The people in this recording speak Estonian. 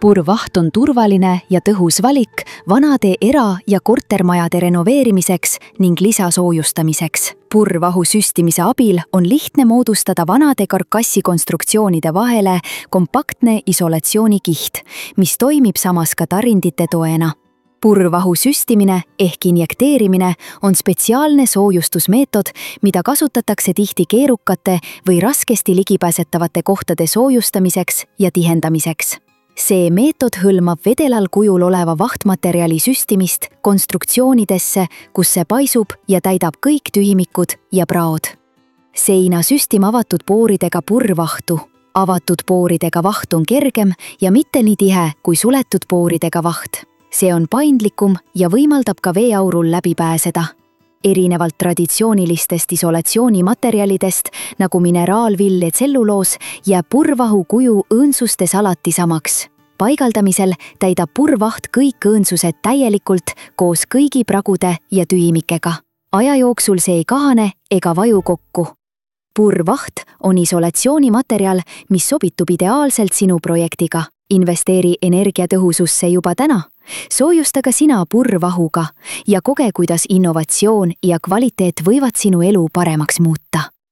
Purvaht on turvaline ja tõhus valik vanade era- ja kortermajade renoveerimiseks ning lisasoojustamiseks. Purvahu süstimise abil on lihtne moodustada vanade karkassikonstruktsioonide vahele kompaktne isolatsioonikiht, mis toimib samas ka tarindite toena. Purvahu süstimine ehk injekteerimine on spetsiaalne soojustusmeetod, mida kasutatakse tihti keerukate või raskesti ligipääsetavate kohtade soojustamiseks ja tihendamiseks. See meetod hõlmab vedelal kujul oleva vahtmaterjali süstimist konstruktsioonidesse, kus see paisub ja täidab kõik tühimikud ja praod. Seina süstima avatud pooridega purvvahtu. Avatud pooridega vaht on kergem ja mitte nii tihe kui suletud pooridega vaht. See on paindlikum ja võimaldab ka veeaurul läbi pääseda. Erinevalt traditsioonilistest isolatsioonimaterjalidest nagu mineraalvill ja tselluloos jääb purvahu kuju õõnsustes alati samaks. Paigaldamisel täidab purvaht kõik õõnsused täielikult koos kõigi pragude ja tühimikega. Aja jooksul see ei kahane ega vaju kokku. Purvaht on isolatsioonimaterjal, mis sobitub ideaalselt sinu projektiga. Investeeri energiatõhususse juba täna. Soojusta ka sina purvahuga ja koge, kuidas innovatsioon ja kvaliteet võivad sinu elu paremaks muuta.